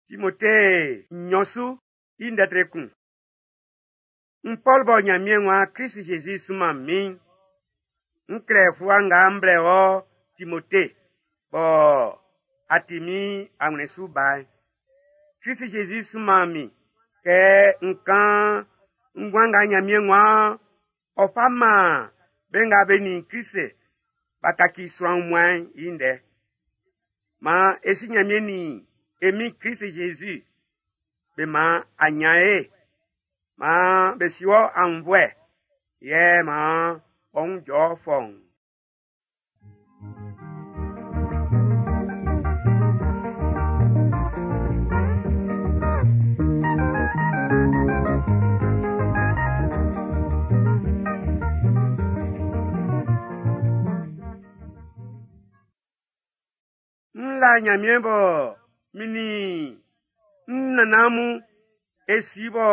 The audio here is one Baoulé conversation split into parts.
Timote nnyɔn su i ndɛ tre kun. N Pɔl bɔ Nyanmiɛn waan Krist-Jésus sunman min'n, n klɛ fluwa nga m blɛ wɔ Timote bɔ a ti min anwlɛn su ba'n. Krist-Jésus sunman min kɛ n kan nguan nga Nyanmiɛn waan ɔ ʼfa man be nga be nin Krist b'a kaci sran wunmuan'n i ndɛ. Man e Si Nyanmiɛn nin e Min Krist-Jésus be man a nyan ye, man be si wɔ aunnvuɛ, yɛ man ɔ wun jɔ fɔuun. N la Nyanmiɛn bɔ min nin n nannan mun e si bɔ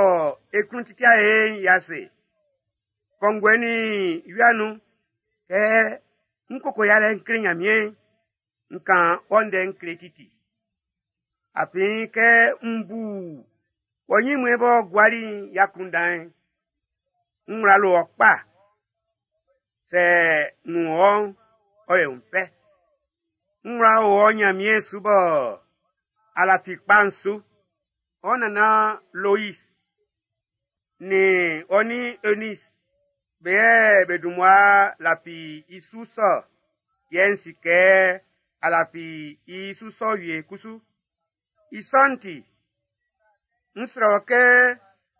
e klun titia e'n i ase. Kɔnguɛ nin wia nun, kɛ n koko yalɛ n kle Nyanmiɛn'n, n kan ɔ ndɛ n kle titi. Afin kɛ n bu wɔ nyinmue b'ɔ guali'n i akunndan'n, n wla lo ɔ kpa. Sɛ n wun wɔ'n, ɔ yo n fɛ. N wla o ɔ Nyanmiɛn su bɔ a lafi kpa'n su. Ɔ nannan Lois nin ɔ nin Eunice be yɛ be dun mmua lafi i su sɔ, yɛ n si kɛ a lafi i su sɔ wie kusu. I sɔ'n ti, n srɛ wɔ kɛ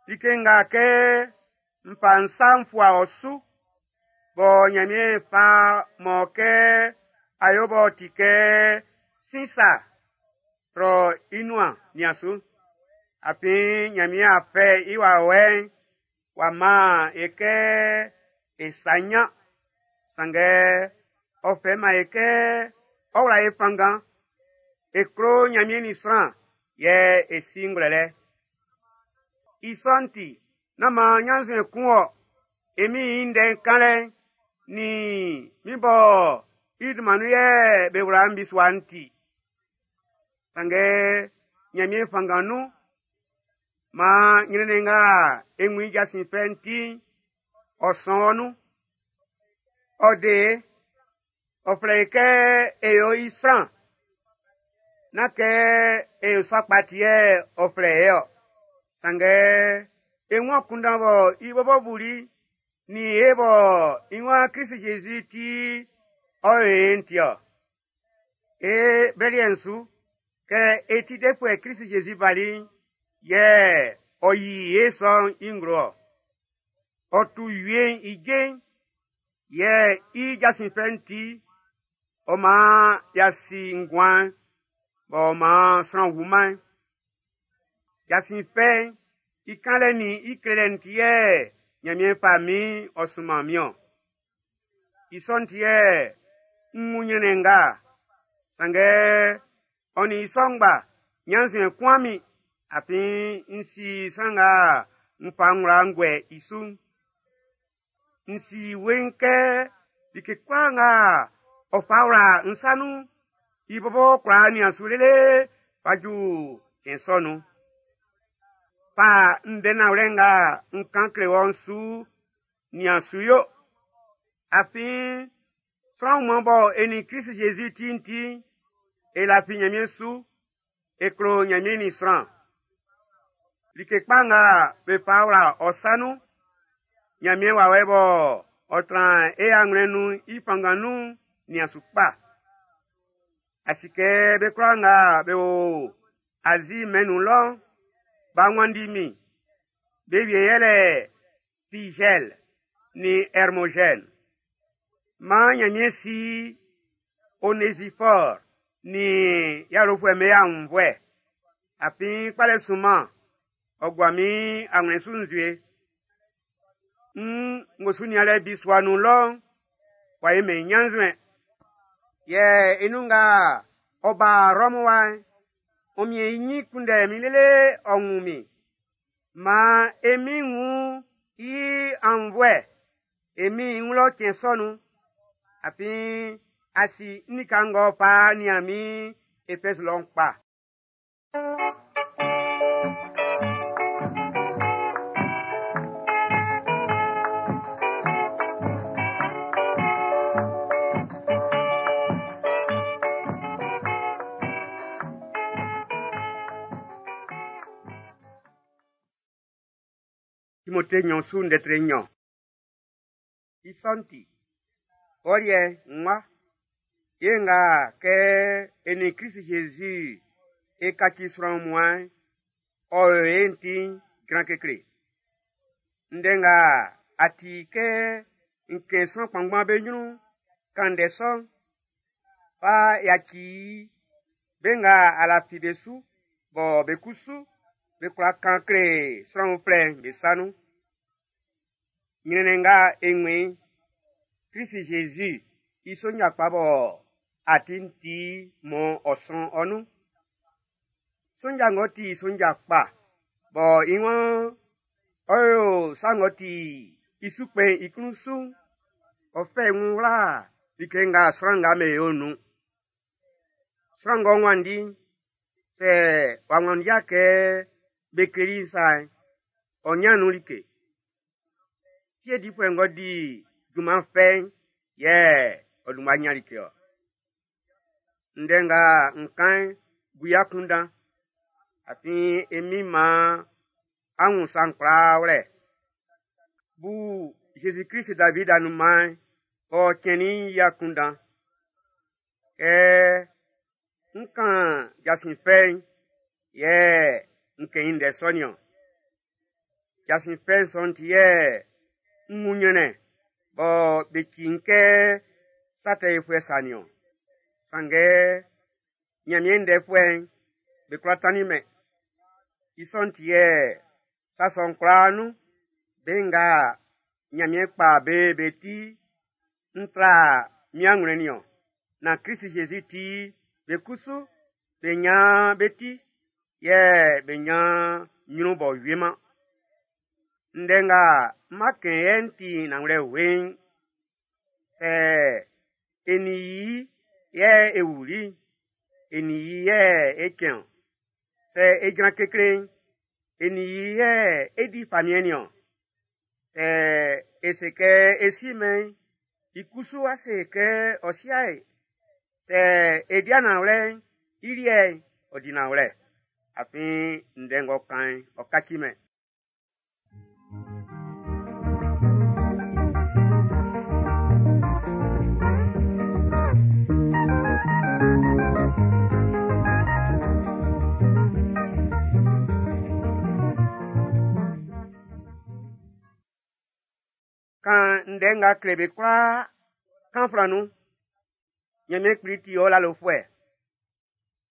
like nga kɛ n fa n sa n fua ɔ su, bɔ Nyanmiɛn fa mɔ kɛ a yo b'ɔ ti kɛ sin sa, trɔ i nuan nian su. Afin Nyanmiɛn a fɛ i wawɛ'n w'a man e kɛ e sa nyan, sanngɛ ɔ fɛ man e kɛ ɔ wla e fanngan, e klo Nyanmiɛn nin sran, yɛ e si ngwlɛlɛ. I sɔ'n ti, nán man ɲannzuɛn kun wɔ, e Min'n i ndɛ'n kanlɛ'n, nin min bɔ i dunman nun yɛ be wla n bisua'n ti. Sanngɛ Nyanmiɛn fanngan nun, maan ɲrɛnnɛn nga e wun i jasin fɛ'n ti'n, ɔ sɔn wɔ nun. Ɔ de e, ɔ flɛ e kɛ e yo i sran. Nán kɛ e yo sa kpa ti yɛ ɔ flɛ e ɔ. Sanngɛ e wun akunndan bɔ i bɔbɔ buli nin e bɔ i waan Krist-Jésus ti ɔ yo e'n ti ɔ. E blɛ liɛ'n su, kɛ e ti defuɛ Krist-Jésus bali'n, yɛ ɔ yi e sɔ'n i nglo ɔ. Ɔ tu wie'n i je'n, yɛ i jasin fɛ'n ti, ɔ maan y'a si nguan'n, b'ɔ maan sran wuman'n. Jasin fɛ'n i kanlɛ nin i klelɛ'n ti yɛ Nyanmiɛn fa min ɔ sunman min-ɔn. I sɔ'n ti yɛ n wun ɲrɛnnɛn nga, sanngɛ ɔ nin i sɔ ngba, ɲannzuɛn kunman min, afin n si sran nga n fa n wla n guɛ i su'n. N si weiin kɛ like kwlaa nga ɔ fa wla n sa nun'n, i bɔbɔ kwla nian su lele fa ju cɛn sɔ nun. Fa ndɛ nanwlɛ nga n kan kle wɔ'n su nian su yo. Afin sran wunmuan bɔ e nin Krist-Jésus ti'n ti'n, e lafi Nyanmiɛn su, e klo Nyanmiɛn nin sran. Like kpa nga be fa wla ɔ sa nun'n, Nyanmiɛn wawɛ bɔ ɔ tran e anwlɛn nun'n i fanngan nun nian su kpa. A si kɛ be kwlaa nga be o Azi mɛn'n nun lɔ'n, b'a wanndi min. Be wie yɛlɛ Figɛl nin Hermogène. Maan Nyanmiɛn si Onésiphore nin i awlofuɛ'm be aunnvuɛ. Afin kpalɛ sunman, ɔ gua min anwlɛn su nzue. N ngosu nianlɛ bisua nun lɔ'n, w'a yi min ɲannzuɛn. Yɛ i nun nga ɔ ba Rɔmu wa'n, ɔ miɛn i ɲin kunndɛ min lele ɔ wun min. Maan e min wun i aunnvuɛ, e min i wun lɔ cɛn sɔ nun. Afin a si n lika ng'ɔ fa nian min Efɛzi lɔ'n kpa. Timote nɲɔn su ndɛ tre nɲɔn. I sɔ'n ti, ɔ liɛ nwa, ye nga kɛ e nin Krist Jésus e kaci sran wunmuan'n, ɔ o e'n ti'n jran kekle. Ndɛ nga a ti kɛ n kɛn sran kpanngban be ɲrun'n, kan ndɛ sɔ'n, fa yaci be nga a lafi be su bɔ be kusu be kwla kan kle sran uflɛ'n be sa nun. Ɲrɛnnɛn nga e wun i'n, Krist Jésus i sonja kpa bɔ a ti'n ti mɔ ɔ sɔn ɔ nun. Sonja ng'ɔ ti sonja kpa bɔ i waan ɔ yo sa ng'ɔ ti i su kpɛn i klun su'n, ɔ fɛ i wun wla like nga sran nga be yo'n nun. Sran ng'ɔ wanndi'n, sɛ w'a wanndi'a kɛ be kleli i sa'n, ɔ ɲan nun like. Fie difuɛ ng'ɔ di junman fɛ'n, yɛ ɔ dun mmua ɲan like ɔ. Ndɛ nga n kan'n, bu i akunndan. Afin e Min'n maan á wún sa'n kwlaa wlɛ. Bu Zezi Klist David anunman'n, ɔ cɛnnin'n i akunndan. Kɛ n kan jasin fɛ'n, yɛ n kɛn i ndɛ sɔ nin-ɔn. Jasin fɛ'n sɔ'n ti yɛ n wun ɲrɛnnɛn bɔ be ci n kɛ sa tɛ yofuɛ sa nin-ɔn. Sanngɛ Ɲanmiɛn ndɛfuɛ'n, be kwla tannin mɛn. I sɔ'n ti yɛ sa sɔ'n kwlaa nun, be nga Ɲanmiɛn kpa be be ti, n tra min anwlɛn nin-ɔn. Nan Krist Jésus ti, be kusu be nyan be ti, yɛ be nyan ɲrun b'ɔ wieman. Ndɛ nga m ma kɛn yɛ'n ti nanwlɛ weiin. Sɛ e nin i yɛ e wuli'n, e nin i yɛ e cɛn-ɔn. Sɛ e jran kekle'n, e nin i yɛ e di famiɛn nin-ɔn. Sɛ e se kɛ e si-mɛn i'n, i kusu a se kɛ ɔ si'a e. Sɛ e di'a nanwlɛ'n, i liɛ'n, ɔ di nanwlɛ. Afin ndɛ ng'ɔ kan'n, ɔ kaci-mɛn. Kan ndɛ nga kle be kwlaa, kan flan nun. Ɲanmiɛn Kpli ti ɔ lalofuɛ.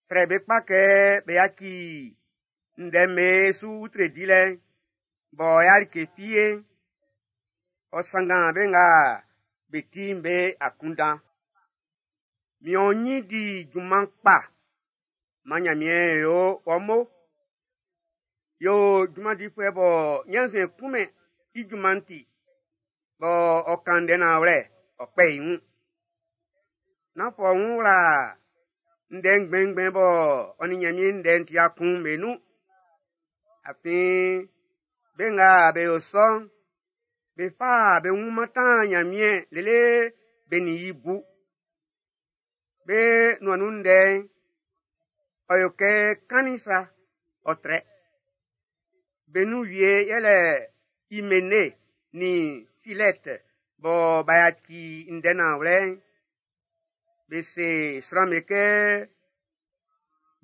Srɛ be kpa kɛ be yaci ndɛ'm be su utre dilɛ'n, bɔ ya like fi ye'n, ɔ sanngan be nga be ti'n be akunndan. Mian ɔ ɲin di junman kpa, man Ɲanmiɛn yo wɔ mo. Yo junman difuɛ bɔ ɲannzuɛn kunmɛn i junman'n ti, bɔ ɔ kan ndɛ nanwlɛ, ɔ kpɛ i wun. Nán fa ɔ wun wla ndɛ ngbɛnngbɛn bɔ ɔ nin Ɲanmiɛn ndɛ'n ti'a kun'n be nun. Afin be nga be yo sɔ'n, be fa be wun mantan Ɲanmiɛn lele be nin i bu. Be nuan nun ndɛ'n, ɔ yo kɛ kannin sa, ɔ trɛ. Be nun wie yɛlɛ Imene nin Filɛt bɔ b'a yaci ndɛ nanwlɛ'n. Be se sran'm be kɛ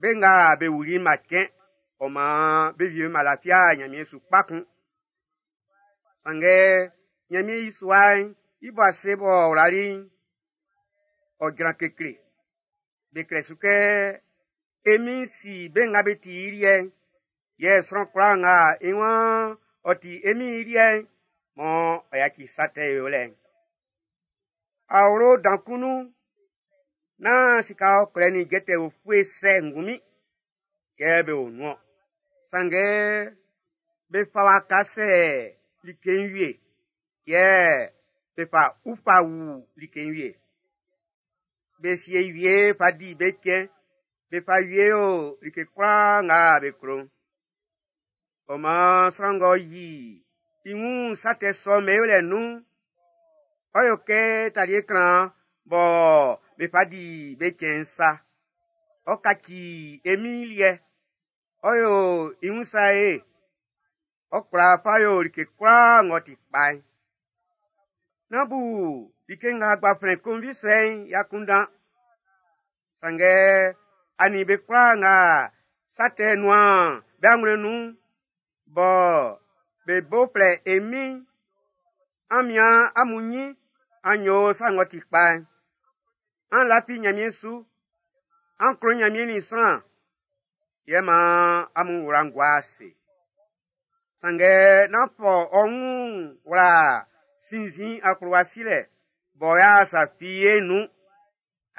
be nga be wuli'n b'a cɛn, ɔ maan be wie'm b'a lafi'a Ɲanmiɛn su kpa kun. Sanngɛ Ɲanmiɛn i sua'n i bo ase b'ɔ wlali'n, ɔ jran kekle. Be klɛ su kɛ, e Min'n si be nga be ti i liɛ'n, yɛ sran kwlaa nga i waan ɔ ti e Min'n i liɛ'n, mɔ ɔ yaci sa tɛ yolɛ'n. Awlo dan kun nun'n, nán sika ɔkwlɛ nin jɛtɛ ufue sɛ ngunmin yɛ be o nun-ɔn. Sanngɛ be fa waka sɛ like'n wie, yɛ be fa ufa wu like'n wie. Be sie wie fa di be cɛn, be fa wie yo like kwlaa nga be klo'n. Ɔ maan sran ng'ɔ yi i wun sa tɛ sɔ'm be yolɛ nun'n, ɔ yo kɛ talie klan bɔ be fa di be cɛn'n sa. Ɔ kaci e Min'n liɛ, ɔ yo i wun sa ye. Ɔ kwla fa yo like kwlaa ng'ɔ ti kpa'n. Nán bu like nga gbanflɛn konvi sɔ i'n i akunndan. Sanngɛ a nin be kwlaa nga sa tɛ nun'an be anwlɛn'n nun'n, bɔ be bo flɛ e Min'n, an mian amun nyin an yo sa ng'ɔ ti kpa'n. An lafi Nyanmiɛn su, an klo Nyanmiɛn nin sran, yɛ man amun wla'n gua ase. Sanngɛ nán fɔ ɔ wun wla sinnzin akplowa silɛ bɔ ɔ'a sa fi ye'n nun,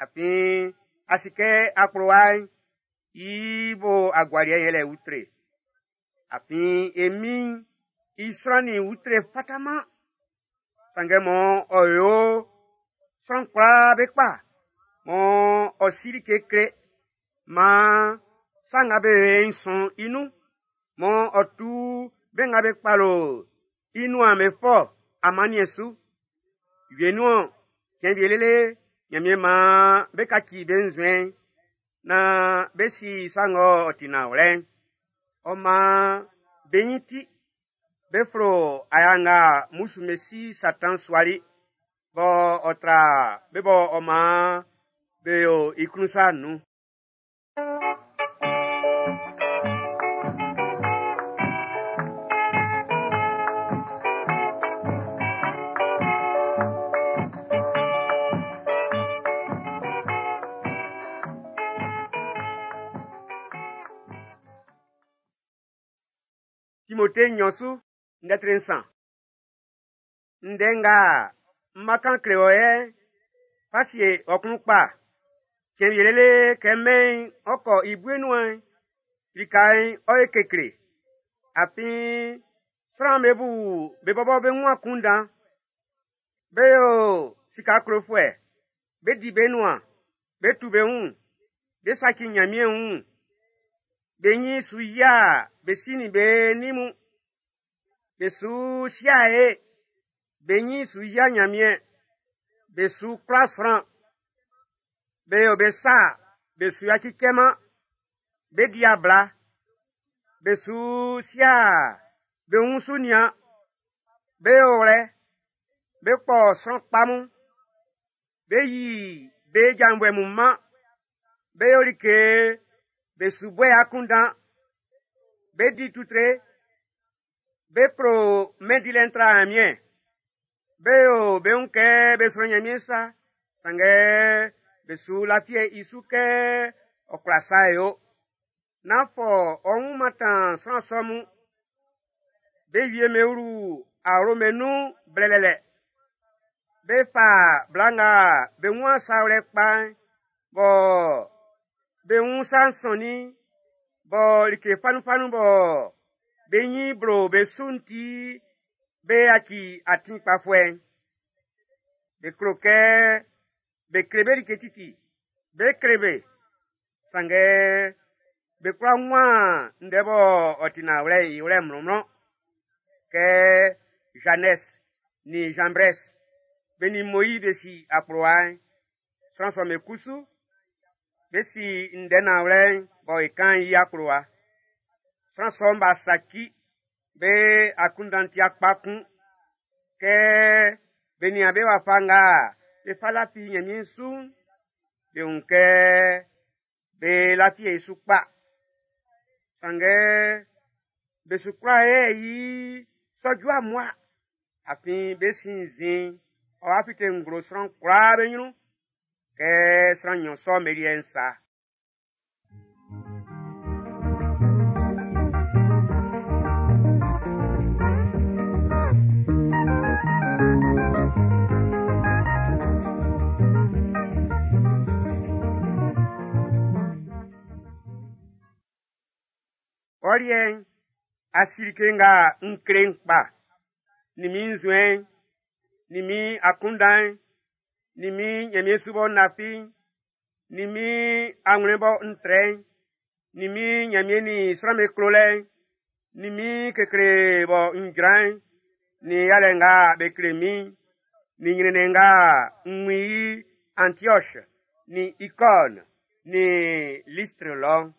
afin a si kɛ akplowa'n i bo agualiɛ'n yɛlɛ utre. Afin e Min'n i sran nin utre fata-man, sanngɛ man ɔ yo sran kwlaa be kpa, man ɔ si like kle, man sa nga be yo'n sɔn i nun, man ɔ tu be nga be kpalo i nuan'n be fɔ amanniɛn su. Wienun-ɔn, cɛn wie lele Nyanmiɛn man be kaci be nzuɛn'n, nan be si sa ng'ɔ ti nanwlɛ'n. Ɔ man be nyin ti, be flo aya nga mmusu'm be si Satan suali, bɔ ɔ tra be bɔ ɔ man be yo i klun sa'n nun. Timote nnyɔn su ndɛ tre nsan. Ndɛ nga m ma kan kle wɔ yɛ'n, fa sie ɔ klun kpa. Cɛn wie lele kɛ mɛn'n ɔ kɔ i bue nuan'n, lika'n ɔ ye kekle. Afin sran'm be bu be bɔbɔ be wun akunndan. Be yo sika klofuɛ, be di be nuan, be tu be wun, be saci Nyanmiɛn wun, be nyin su yia be si nin be nin mun, be su si'a ye, be nyin su yia Nyanmiɛn, be su kwla sran, be yo be sa be su yaci cɛ-man, be di abla, be su si'a be wun su nian, be yo wlɛ, be kpɔ sran kpa mun, be yi be janvuɛ mun man, be yo like be su buɛ akunndan, be di tutre, be klo mɛn dilɛ'n tra Nyanmiɛn, be yo be wun kɛ be sro Nyanmiɛn sa, sanngɛ be su lafiɛ i su kɛ ɔ kwla sa yo. Nán fɔ ɔ wun mantan sran sɔ mun. Be wie me wlu awlo me nun blɛlɛlɛ. Be fa bla nga be wun sa wlɛ kpa'n, bɔ be wun sa'n sɔnnin, bɔ like fanunfanun bɔ be nyin blo be su'n ti be yaci atin kpafuɛ'n. Be klo kɛ be kle be like titi, be kle be, sanngɛ be kwla wun ndɛ bɔ ɔ ti nanwlɛ'n i wlɛ mlɔnmlɔn. Kɛ Janɛs nin Janbrɛs be nin Moiz be si akplowa'n, sran sɔ'm be kusu, be si ndɛ nanwlɛ'n bɔ e kan'n i akplowa. Sran sɔ'm b'a saci, be akunndan ti akpa kun. Kɛ be nian be wafa nga be fa lafi Nyanmiɛn su'n, be wun kɛ be lafi e su kpa. Sanngɛ be su kwla yɛ i sɔ ju amua, afin be sinnzin'n ɔ'a fite nglo sran kwlaa be nyrun kɛ sran nnyɔn sɔ'm be liɛ'n sa. Ɔ liɛ'n, a si like nga n kle'n kpa, nin min nzuɛn'n, nin min akunndan'n, nin min Nyanmiɛn su bɔ n lafi'n, nin min anwlɛn bɔ n trɛ'n, nin min Nyanmiɛn nin sran'm be klolɛ'n, nin min kekle bɔ n jran'n, nin yalɛ nga be kle min'n, nin nyrɛnnɛn nga n wun i Antiɔs, nin Ikɔn, nin Listre lɔ'n.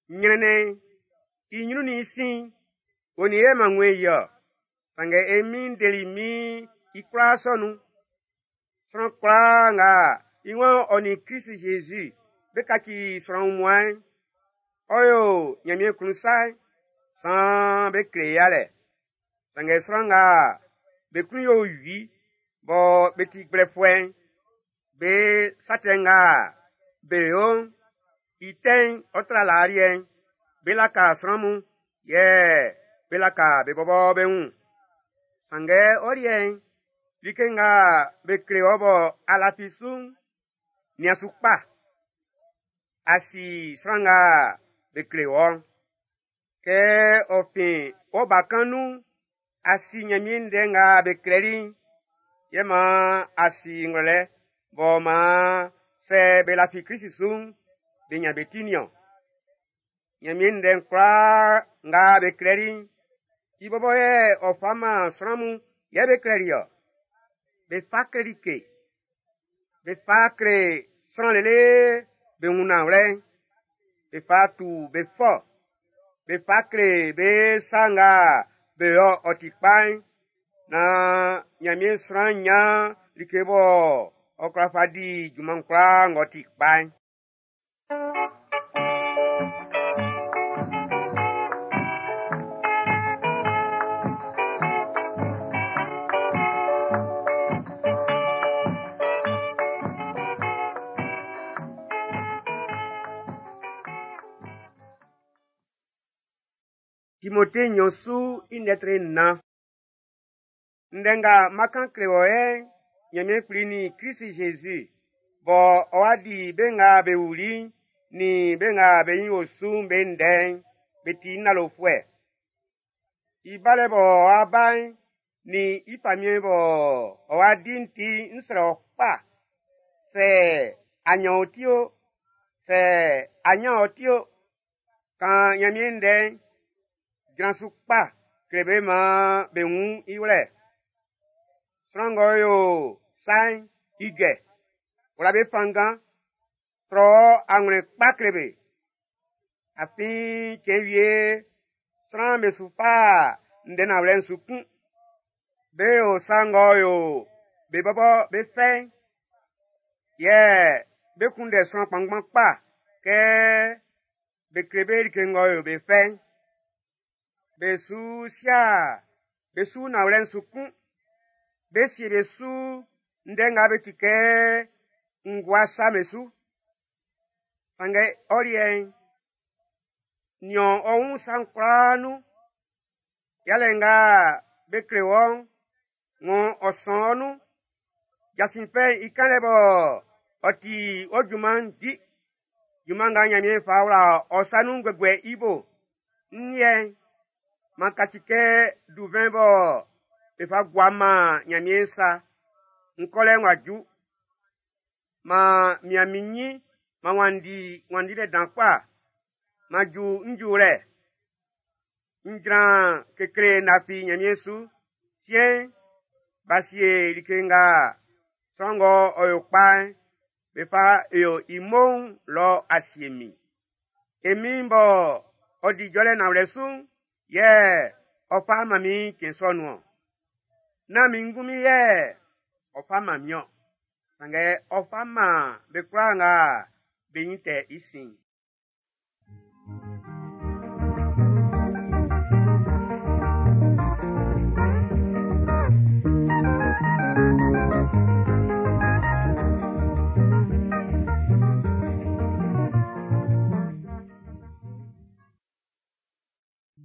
Nyrɛnnɛn'n, i nyrun nin i sin'n, Ɔ nin yɛ m'an wun i-ɔ, sanngɛ e Min'n deli min i kwlaa sɔ nun. Sran kwlaa nga i waan ɔ nin Krist Jésus be kaci sran wunmuan'n, ɔ yo Nyanmiɛn klun sa'n, saan be kle i yalɛ. Sanngɛ sran nga be klun yo wi bɔ be ti gblɛfuɛ'n, be sa tɛ nga be yo'n, i tɛ'n ɔ tra laa liɛ'n. Be laka sran mun, yɛ be laka be bɔbɔ be wun. Sanngɛ ɔ liɛ'n, like nga be kle wɔ bɔ a lafi su'n, nian su kpa. A si sran nga be kle wɔ'n. Kɛ ɔ fin wɔ bakan nun'n, a si Nyanmiɛn ndɛ nga be klɛli'n, yɛ maan a si ngwlɛlɛ b'ɔ maan sɛ be lafi Krist su'n, be nyan be ti nin-ɔn. Nyanmiɛn ndɛ'n kwlaa nga be klɛli'n, i bɔbɔ yɛ ɔ fa man sran mun yɛ be klɛli-ɔ. Be fa kle like, be fa kle sran lele be wun nanwlɛ'n, be fa tu be fɔ, be fa kle be sa nga be yo ɔ ti kpa'n, naan Nyanmiɛn sran nyan like bɔ ɔ kwla fa di junman kwlaa ng'ɔ ti kpa'n. Timote nɲɔn su i ndɛtre nnan. Ndɛ nga m'an kan kle wɔ yɛ'n, Nyanmiɛn Kpli nin Krist Jésus bɔ ɔ wa di be nga be wuli'n nin be nga be nyin o su'n be ndɛ'n, be ti n lalofuɛ. I balɛ bɔ ɔ wa ba'n nin i famiɛn bɔ ɔ wa di'n ti n srɛ ɔ kpa. Sɛ a nyan ɔ ti o, sɛ a nyan ɔ ti o, kan Nyanmiɛn ndɛ'n, jran su kpa kle be maan be wun i wlɛ. Sran ng'ɔ yo sa'n, i jɛ, wla be fanngan, trɔ anwlɛn kpa kle be. Afin cɛn wie sran'm be su fa ndɛ nanwlɛ'n su kun. Be yo sa ng'ɔ yo be bɔbɔ be fɛ'n, yɛ be kunndɛ sran kpanngban kpa kɛ be kle be like ng'ɔ yo be fɛ'n. Be su sia be su nanwlɛ'n su kun. Be sie be su ndɛ nga be ti kɛ ngua sa be su. Sanngɛ ɔ liɛ'n, nian ɔ wun sa'n kwlaa nun. Yalɛ nga be kle wɔ'n, ng'ɔ ɔ sɔn ɔ nun. Jasin fɛ'n i kanlɛ bɔ ɔ ti ɔ junman'n di. Junman nga Nyanmiɛn fa wla ɔ sa nun guɛguɛ i bo. N liɛ'n, m'an kaci kɛ duvɛn bɔ be fa gua man Nyanmiɛn sa. N kɔlɛ'n w'a ju. M'an mian min nyin, m'an wanndi wanndilɛ dan kpa. M'an ju n juwlɛ. N jran kekle n lafi Nyanmiɛn su. Siɛn'n, b'a sie like nga sran ng'ɔ ɔ yo kpa'n, be fa yo i mo'n lɔ a sie min. E Min'n bɔ ɔ di jɔlɛ nanwlɛ su'n, yɛ ɔ fa man min cɛn sɔ nun-ɔn. Nán min ngunmin yɛ ɔ fa man min-ɔn, sanngɛ ɔ fa man be kwlaa nga be nyin tɛ i sin'n.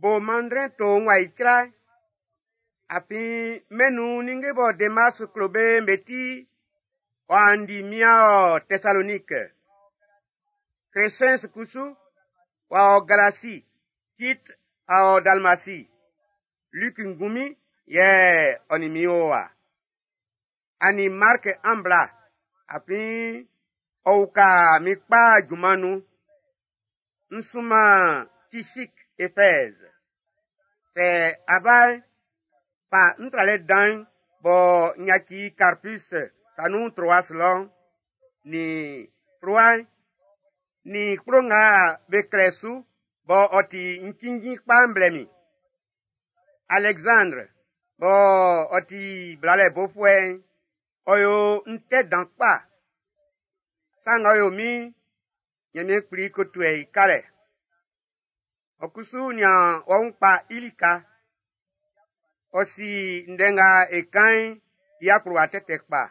Bo mandrɛn to n wa icra, afin mɛn nun ninnge bɔ Demas klo be'n be ti, ɔ'a ndi mian ɔ Tɛsaloniki. Crescens kusu w'a ɔ Galasi, Tit a ɔ Dalmasi. Luc ngunmin yɛ ɔ nin min o wa. A nin Mark an bla, afin ɔ uka min kpa junman nun. N sunman Tichik Efɛz. Sɛ a ba'n, fa n tralɛ dan'n bɔ n yaci Karpus sa nun Troas lɔ'n, nin fluwa'n, nin kplo nga be klɛ su bɔ ɔ ti n cinnjin kpa'n blɛ min. Alɛksandr bɔ ɔ ti blalɛ bofuɛ'n, ɔ yo n tɛ dan kpa. Sa ng'ɔ yo min'n, Ɲanmiɛn Kpli ko tuɛ i kalɛ. Ɔ kusu nian ɔ wun kpa i lika. Ɔ si ndɛ nga e kan'n i akplowa tɛtɛ kpa.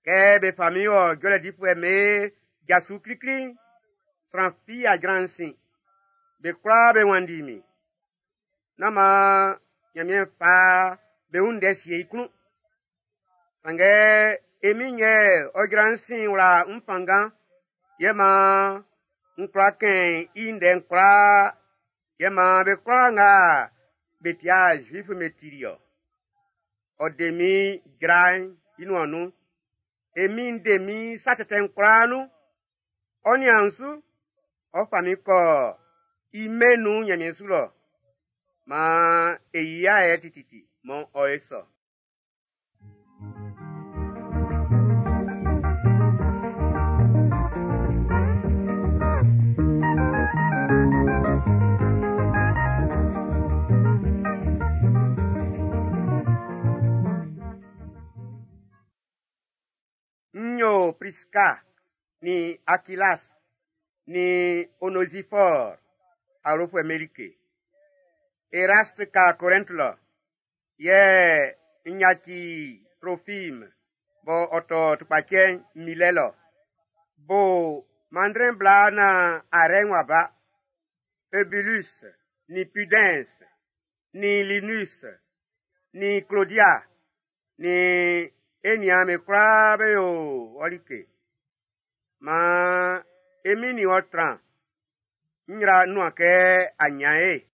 Kɛ be fa min wɔ jɔlɛ difuɛ'm be ja su klikli'n, sran fi a jran n sin. Be kwlaa be wanndi min. Nán maan Ɲanmiɛn fa be wun ndɛ sie i klun. Sanngɛ e Min'n yɛ ɔ jran n sin wla n fanngan, yɛ maan n kwla kɛn i ndɛ'n kwlaa, yɛ maan be kwlaa nga be ti'a Zuif'n be tili-ɔ. Ɔ de min jra'n i nuan nun. E Min'n de min sa tɛtɛ'n kwlaa nun. Ɔ nian n su, ɔ fa min kɔ i mɛn'n nun Ɲanmiɛn su lɔ. Maan e yi i ayɛ tititi, mɔ ɔ e sɔ. N yo Priska nin Akilas nin Onezifɔr awlofuɛ'm be like. Erast ka Korɛnt lɔ, yɛ n yaci Trofim bɔ ɔ tɔ tukpacɛ'n Milɛ lɔ. Bo manndrɛn bla naan arɛ'n w'a ba. Eubulus nin Pudɛns nin Linus nin Klodia nin e niaan'm be kwlaa be yo ɔ like. Maan e Min'n nin wɔ tran. N yra n nuan kɛ a ɲan e.